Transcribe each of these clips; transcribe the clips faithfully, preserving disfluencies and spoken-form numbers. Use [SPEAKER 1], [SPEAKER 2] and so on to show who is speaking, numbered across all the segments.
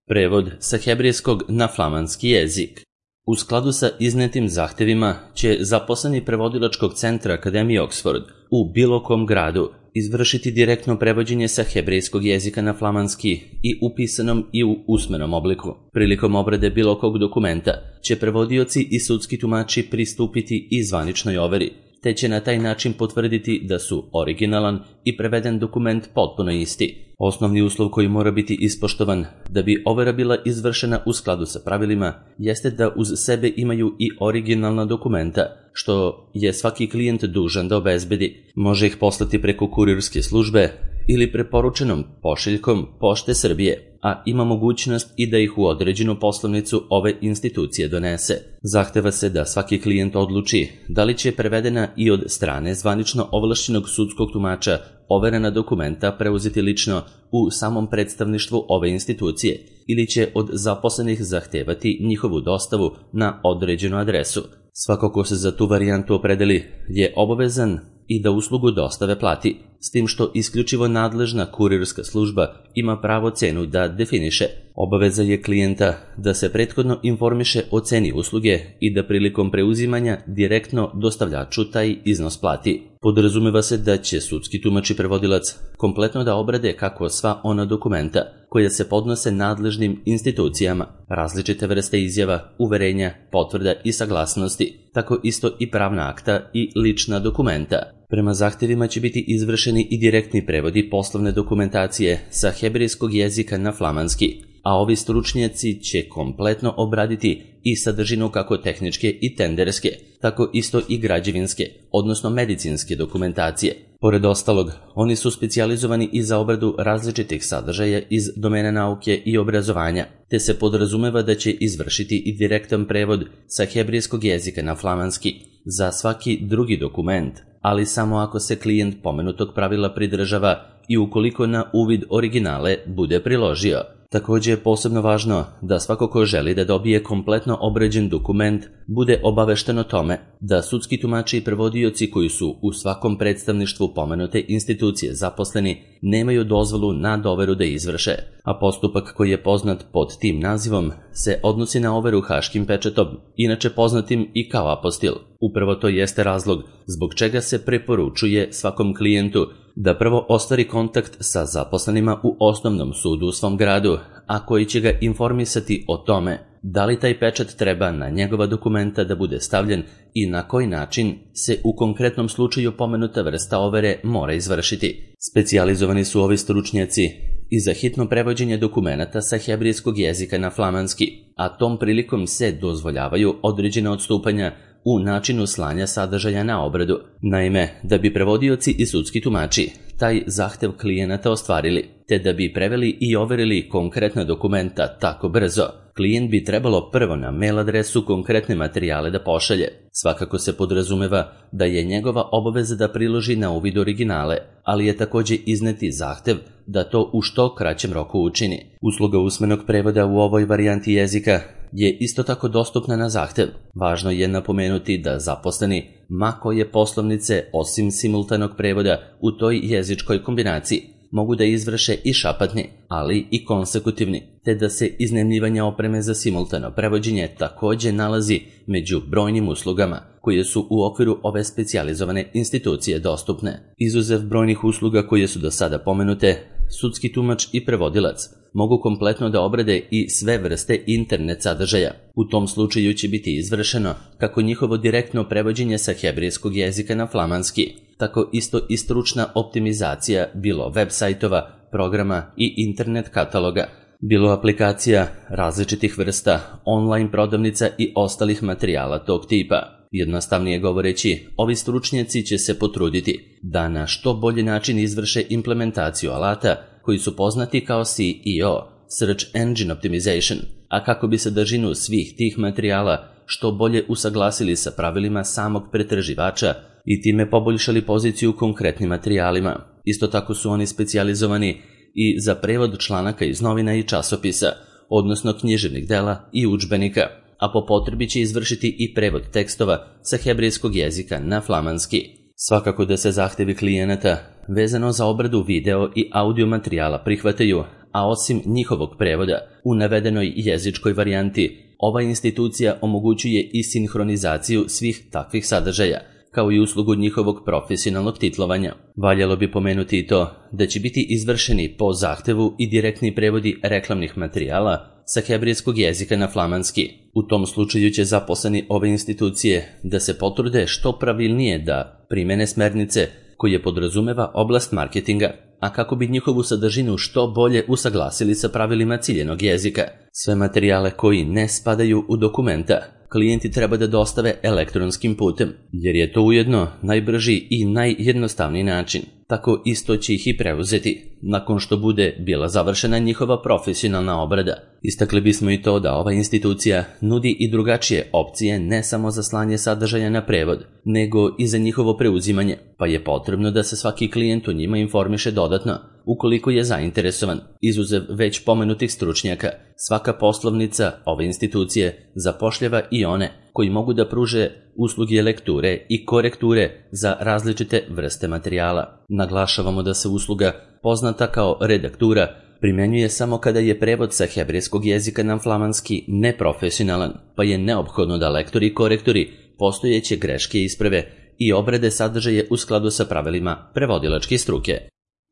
[SPEAKER 1] Prevod sa hebrejskog na flamanski jezik. U skladu sa iznetim zahtevima će zaposleni prevodilačkog centra Akademije Oxford u bilo kom gradu izvršiti direktno prevođenje sa hebrejskog jezika na flamanski i u pisanom i u usmenom obliku. Prilikom obrade bilo kog dokumenta će prevodioci i sudski tumači pristupiti i zvaničnoj overi, te će na taj način potvrditi da su originalan i preveden dokument potpuno isti. Osnovni uslov koji mora biti ispoštovan da bi overa bila izvršena u skladu sa pravilima jeste da uz sebe imaju i originalna dokumenta, što je svaki klijent dužan da obezbedi. Može ih poslati preko kurirske službe ili preporučenom pošiljkom Pošte Srbije, a ima mogućnost i da ih u određenu poslovnicu ove institucije donese. Zahteva se da svaki klijent odluči da li će prevedena i od strane zvanično ovlašćenog sudskog tumača overena dokumenta preuzeti lično u samom predstavništvu ove institucije ili će od zaposlenih zahtevati njihovu dostavu na određenu adresu. Svako ko se za tu varijantu opredeli je obavezan i da uslugu dostave plati, s tim što isključivo nadležna kurirska služba ima pravo cenu da definiše. Obaveza je klijenta da se prethodno informiše o ceni usluge i da prilikom preuzimanja direktno dostavljaču taj iznos plati. Podrazumeva se da će sudski tumač i prevodilac kompletno da obrade kako sva ona dokumenta koja se podnose nadležnim institucijama, različite vrste izjava, uverenja, potvrda i saglasnosti, tako isto i pravna akta i lična dokumenta. Prema zahtevima će biti izvršeni i direktni prevodi poslovne dokumentacije sa hebrejskog jezika na flamanski, a ovi stručnjaci će kompletno obraditi i sadržinu kako tehničke i tenderske, tako isto i građevinske, odnosno medicinske dokumentacije. Pored ostalog, oni su specijalizovani i za obradu različitih sadržaja iz domena nauke i obrazovanja, te se podrazumeva da će izvršiti i direktan prevod sa hebrejskog jezika na flamanski za svaki drugi dokument, ali samo ako se klijent pomenutog pravila pridržava i ukoliko na uvid originale bude priložio. Takođe je posebno važno da svako ko želi da dobije kompletno obrađen dokument bude obavešten o tome da sudski tumači i prevodioci koji su u svakom predstavništvu pomenute institucije zaposleni nemaju dozvolu na doveru da izvrše, a postupak koji je poznat pod tim nazivom se odnosi na overu haškim pečatom, inače poznatim i kao apostil. Upravo to jeste razlog zbog čega se preporučuje svakom klijentu da prvo ostvari kontakt sa zaposlenima u osnovnom sudu u svom gradu, a koji će ga informisati o tome da li taj pečat treba na njegova dokumenta da bude stavljen i na koji način se u konkretnom slučaju pomenuta vrsta overe mora izvršiti. Specijalizovani su ovi stručnjaci i za hitno prevođenje dokumenata sa hebrejskog jezika na flamanski, a tom prilikom se dozvoljavaju određena odstupanja u načinu slanja sadržaja na obradu. Naime, da bi prevodioci i sudski tumači taj zahtev klijenata ostvarili, te da bi preveli i overili konkretna dokumenta tako brzo, klijent bi trebalo prvo na mail adresu konkretne materijale da pošalje. Svakako se podrazumeva da je njegova obaveza da priloži na uvid originale, ali je takođe izneti zahtev da to u što kraćem roku učini. Usluga usmenog prevoda u ovoj varijanti jezika je isto tako dostupna na zahtev. Važno je napomenuti da zaposleni ma koje poslovnice osim simultanog prevoda u toj jezičkoj kombinaciji mogu da izvrše i šapatni, ali i konsekutivni, te da se iznajmljivanje opreme za simultano prevođenje takođe nalazi među brojnim uslugama koje su u okviru ove specijalizovane institucije dostupne. Izuzev brojnih usluga koje su do sada pomenute, sudski tumač i prevodilac mogu kompletno da obrade i sve vrste internet sadržaja. U tom slučaju će biti izvršeno kako njihovo direktno prevođenje sa hebrejskog jezika na flamanski, tako isto i stručna optimizacija bilo web sajtova, programa i internet kataloga, bilo aplikacija različitih vrsta, online prodavnica i ostalih materijala tog tipa. Jednostavnije govoreći, ovi stručnjaci će se potruditi da na što bolji način izvrše implementaciju alata koji su poznati kao S E O, Search Engine Optimization, a kako bi sadržinu svih tih materijala što bolje usaglasili sa pravilima samog pretraživača i time poboljšali poziciju konkretnim materijalima. Isto tako su oni specijalizovani i za prevod članaka iz novina i časopisa, odnosno književnih dela i udžbenika, a po potrebi će izvršiti i prevod tekstova sa hebrejskog jezika na flamanski. Svakako da se zahtevi klijenata vezano za obradu video i audio materijala prihvataju, a osim njihovog prevoda u navedenoj jezičkoj varijanti, ova institucija omogućuje i sinhronizaciju svih takvih sadržaja, kao i uslugu njihovog profesionalnog titlovanja. Valjalo bi pomenuti i to da će biti izvršeni po zahtevu i direktni prevodi reklamnih materijala sa hebrejskog jezika na flamanski. U tom slučaju će zaposleni ove institucije da se potrude što pravilnije da primene smernice koje podrazumeva oblast marketinga, a kako bi njihovu sadržinu što bolje usaglasili sa pravilima ciljenog jezika. Sve materijale koji ne spadaju u dokumenta klijenti treba da dostave elektronskim putem, jer je to ujedno najbrži i najjednostavniji način. Tako isto će ih i preuzeti, nakon što bude bila završena njihova profesionalna obrada. Istakli bismo i to da ova institucija nudi i drugačije opcije ne samo za slanje sadržaja na prevod, nego i za njihovo preuzimanje, pa je potrebno da se svaki klijent o njima informiše dodatno, ukoliko je zainteresovan. Izuzev već pomenutih stručnjaka, svaka poslovnica ove institucije zapošljava i one koji mogu da pruže usluge lekture i korekture za različite vrste materijala. Naglašavamo da se usluga, poznata kao redaktura, primenjuje samo kada je prevod sa hebrejskog jezika na flamanski neprofesionalan, pa je neophodno da lektori i korektori postojeće greške isprave i obrade sadržaje u skladu sa pravilima prevodilačke struke.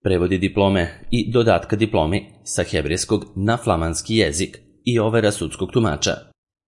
[SPEAKER 1] Prevodi diplome i dodatka diplomi sa hebrejskog na flamanski jezik i overa sudskog tumača.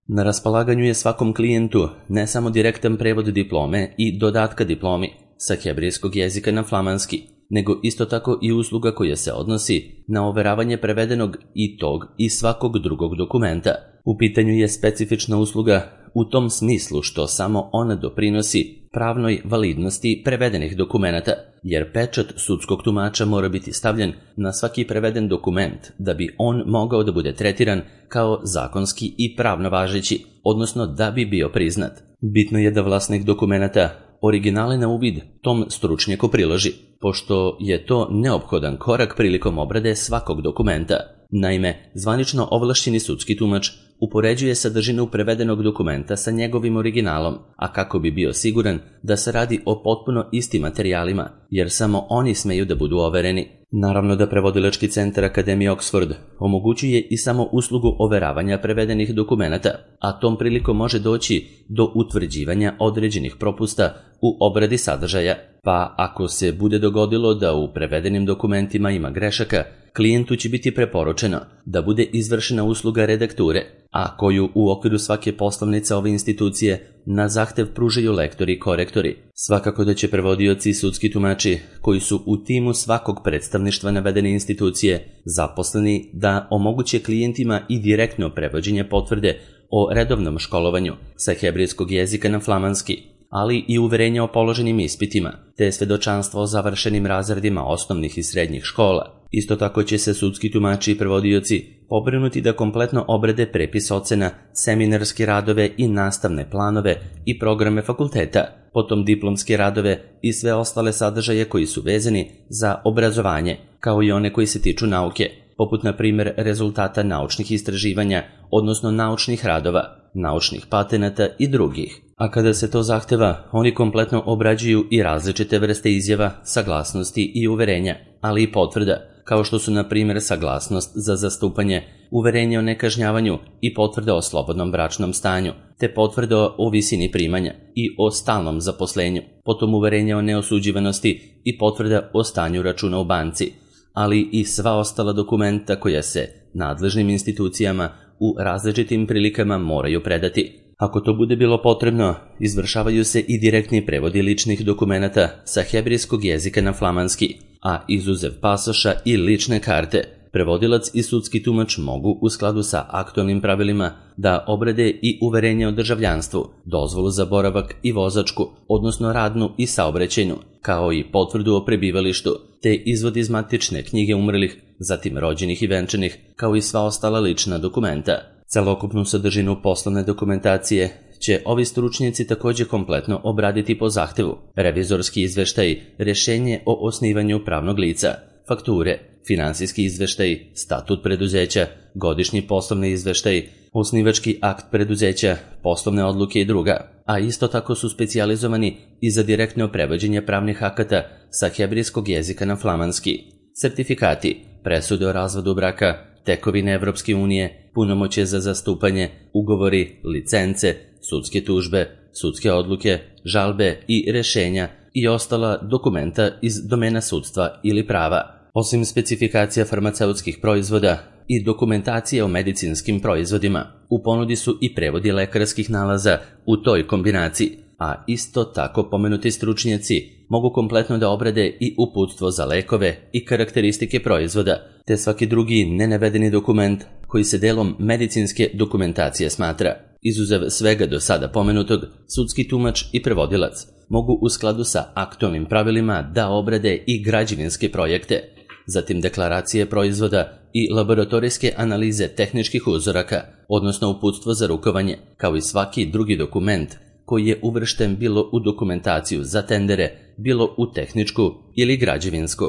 [SPEAKER 1] Na raspolaganju je svakom klijentu ne samo direktan prevod diplome i dodatka diplomi sa hebrejskog jezika na flamanski, nego isto tako i usluga koja se odnosi na overavanje prevedenog i tog i svakog drugog dokumenta. U pitanju je specifična usluga u tom smislu što samo ona doprinosi pravnoj validnosti prevedenih dokumenata, jer pečat sudskog tumača mora biti stavljen na svaki preveden dokument da bi on mogao da bude tretiran kao zakonski i pravno važeći, odnosno da bi bio priznat. Bitno je da vlasnik dokumenata originale na uvid tom stručnjaku priloži, pošto je to neophodan korak prilikom obrade svakog dokumenta. Naime, zvanično ovlašćeni sudski tumač upoređuje sadržinu prevedenog dokumenta sa njegovim originalom, a kako bi bio siguran da se radi o potpuno istim materijalima, jer samo oni smeju da budu overeni. Naravno da prevodilački centar Akademije Oxford omogućuje i samo uslugu overavanja prevedenih dokumenata, a tom prilikom može doći do utvrđivanja određenih propusta u obradi sadržaja, pa ako se bude dogodilo da u prevedenim dokumentima ima grešaka, klijentu će biti preporučeno da bude izvršena usluga redakture, a koju u okviru svake poslovnice ove institucije na zahtev pružaju lektori i korektori. Svakako da će prevodioci i sudski tumači koji su u timu svakog predstavništva navedene institucije zaposleni da omoguće klijentima i direktno prevođenje potvrde o redovnom školovanju sa hebrejskog jezika na flamanski, ali i uverenje o položenim ispitima, te svedočanstvo o završenim razredima osnovnih i srednjih škola. Isto tako će se sudski tumači i prevodioci pobrinuti da kompletno obrade prepis ocena, seminarske radove i nastavne planove i programe fakulteta, potom diplomske radove i sve ostale sadržaje koji su vezani za obrazovanje, kao i one koji se tiču nauke, poput na primjer rezultata naučnih istraživanja, odnosno naučnih radova, naučnih patenata i drugih. A kada se to zahteva, oni kompletno obrađuju i različite vrste izjava, saglasnosti i uverenja, ali i potvrda, kao što su na primjer saglasnost za zastupanje, uverenje o nekažnjavanju i potvrda o slobodnom bračnom stanju, te potvrda o visini primanja i o stalnom zaposlenju, potom uverenje o neosuđivanosti i potvrda o stanju računa u banci, ali i sva ostala dokumenta koja se nadležnim institucijama u različitim prilikama moraju predati. Ako to bude bilo potrebno, izvršavaju se i direktni prevodi ličnih dokumenata sa hebrejskog jezika na flamanski, a izuzev pasoša i lične karte, prevodilac i sudski tumač mogu u skladu sa aktualnim pravilima da obrade i uverenje o državljanstvu, dozvolu za boravak i vozačku, odnosno radnu i saobraćajnu, kao i potvrdu o prebivalištu, te izvod iz matične knjige umrlih, zatim rođenih i venčanih, kao i sva ostala lična dokumenta. Celokupnu sadržinu poslovne dokumentacije će ovi stručnjaci također kompletno obraditi po zahtevu: revizorski izveštaj, rješenje o osnivanju pravnog lica, fakture, finansijski izveštaj, statut preduzeća, godišnji poslovni izveštaj, osnivački akt preduzeća, poslovne odluke i druga. a isto tako su specijalizovani i za direktno prevođenje pravnih akata sa hebrejskog jezika na flamanski. Sertifikati, presude o razvodu braka, tekovine Evropske unije, punomoćje za zastupanje, ugovori, licence, sudske tužbe, sudske odluke, žalbe i rešenja i ostala dokumenta iz domena sudstva ili prava. Osim specifikacija farmaceutskih proizvoda i dokumentacije o medicinskim proizvodima, u ponudi su i prevodi lekarskih nalaza u toj kombinaciji, a isto tako pomenuti stručnjaci mogu kompletno da obrade i uputstvo za lekove i karakteristike proizvoda, te svaki drugi nenavedeni dokument koji se delom medicinske dokumentacije smatra. Izuzev svega do sada pomenutog, sudski tumač i prevodilac mogu u skladu sa aktualnim pravilima da obrade i građevinske projekte, zatim deklaracije proizvoda i laboratorijske analize tehničkih uzoraka, odnosno uputstvo za rukovanje, kao i svaki drugi dokument koji je uvršten bilo u dokumentaciju za tendere, bilo u tehničku ili građevinsku.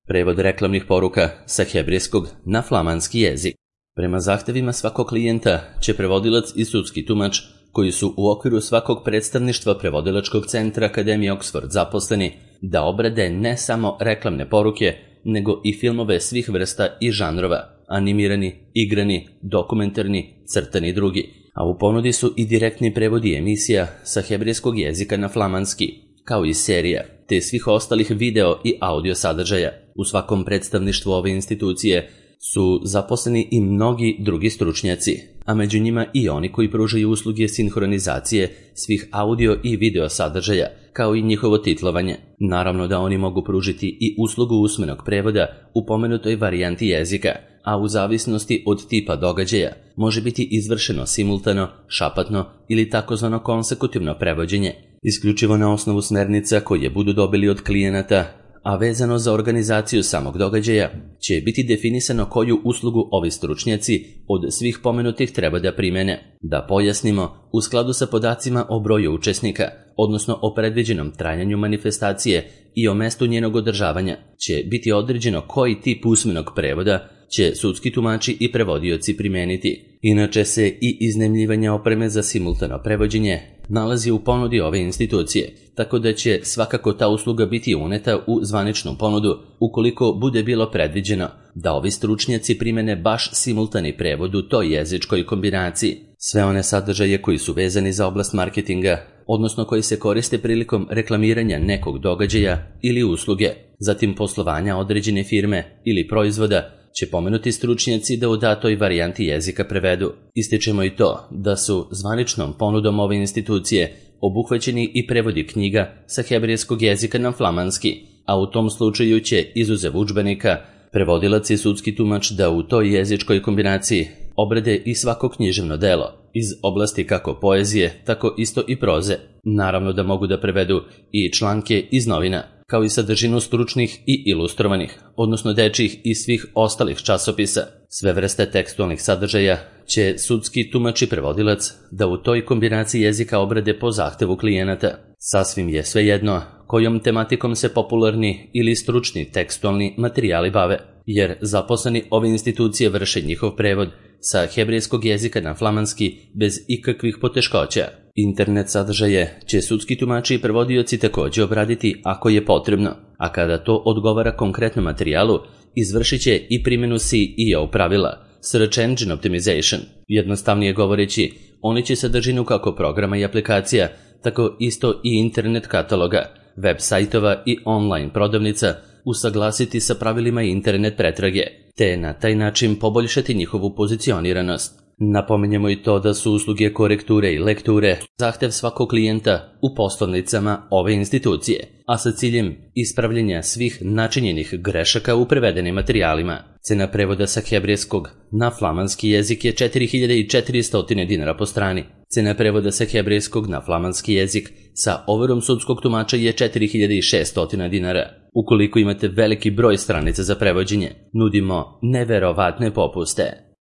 [SPEAKER 1] Prevod reklamnih poruka sa hebrejskog na flamanski jezik. Prema zahtevima svakog klijenta će prevodilac i sudski tumač, koji su u okviru svakog predstavništva prevodilačkog centra Akademije Oxford zaposleni, da obrade ne samo reklamne poruke, nego i filmove svih vrsta i žanrova, animirani, igrani, dokumentarni, crtani i drugi, a u ponudi su i direktni prevodi emisija sa hebrejskog jezika na flamanski, kao i serija, te svih ostalih video i audio sadržaja. U svakom predstavništvu ove institucije su zaposleni i mnogi drugi stručnjaci, a među njima i oni koji pružaju usluge sinhronizacije svih audio i video sadržaja, kao i njihovo titlovanje. Naravno da oni mogu pružiti i uslugu usmenog prevoda u pomenutoj varijanti jezika, a u zavisnosti od tipa događaja može biti izvršeno simultano, šapatno ili takozvano konsekutivno prevođenje, isključivo na osnovu smernica koje budu dobili od klijenata, a vezano za organizaciju samog događaja će biti definisano koju uslugu ovi stručnjaci od svih pomenutih treba da primene. Da pojasnimo, u skladu sa podacima o broju učesnika, odnosno o predviđenom trajanju manifestacije i o mestu njenog održavanja, će biti određeno koji tip usmenog prevoda će sudski tumači i prevodioci primeniti. Inače se i iznajmljivanje opreme za simultano prevođenje nalazi u ponudi ove institucije, tako da će svakako ta usluga biti uneta u zvaničnu ponudu ukoliko bude bilo predviđeno da ovi stručnjaci primene baš simultani prevod u toj jezičkoj kombinaciji. Sve one sadržaje koji su vezani za oblast marketinga, odnosno koji se koriste prilikom reklamiranja nekog događaja ili usluge, zatim poslovanja određene firme ili proizvoda, će pomenuti stručnjaci da u datoj varijanti jezika prevedu. Ističemo i to da su zvaničnom ponudom ove institucije obuhvaćeni i prevodi knjiga sa hebrejskog jezika na flamanski, a u tom slučaju će, izuzev udžbenika, prevodilac i sudski tumač da u toj jezičkoj kombinaciji obrade i svako književno delo iz oblasti kako poezije, tako isto i proze. Naravno da mogu da prevedu i članke iz novina, kao i sadržinu stručnih i ilustrovanih, odnosno dečjih i svih ostalih časopisa. Sve vrste tekstualnih sadržaja će sudski tumač i prevodilac da u toj kombinaciji jezika obrade po zahtevu klijenata. Sasvim je svejedno kojom tematikom se popularni ili stručni tekstualni materijali bave, jer zaposleni ove institucije vrše njihov prevod sa hebrejskog jezika na flamanski bez ikakvih poteškoća. Internet sadržaje će sudski tumači i prevodioci također obraditi ako je potrebno, a kada to odgovara konkretnom materijalu, izvršit će i primjenu C E O pravila, Search Engine Optimization. Jednostavnije govoreći, oni će sadržinu kako programa i aplikacija, tako isto i internet kataloga, web sajtova i online prodavnica usaglasiti sa pravilima internet pretrage, te na taj način poboljšati njihovu pozicioniranost. Napominjemo i to da su usluge korekture i lekture zahtev svakog klijenta u poslovnicama ove institucije, a sa ciljem ispravljenja svih načinjenih grešaka u prevedenim materijalima. Cena prevoda sa hebrejskog na flamanski jezik je četiri hiljade četiristo dinara po strani. Cena prevoda sa hebrejskog na flamanski jezik sa overom sudskog tumača je četiri hiljade šesto dinara. Ukoliko imate veliki broj stranica za prevođenje, nudimo neverovatne popuste.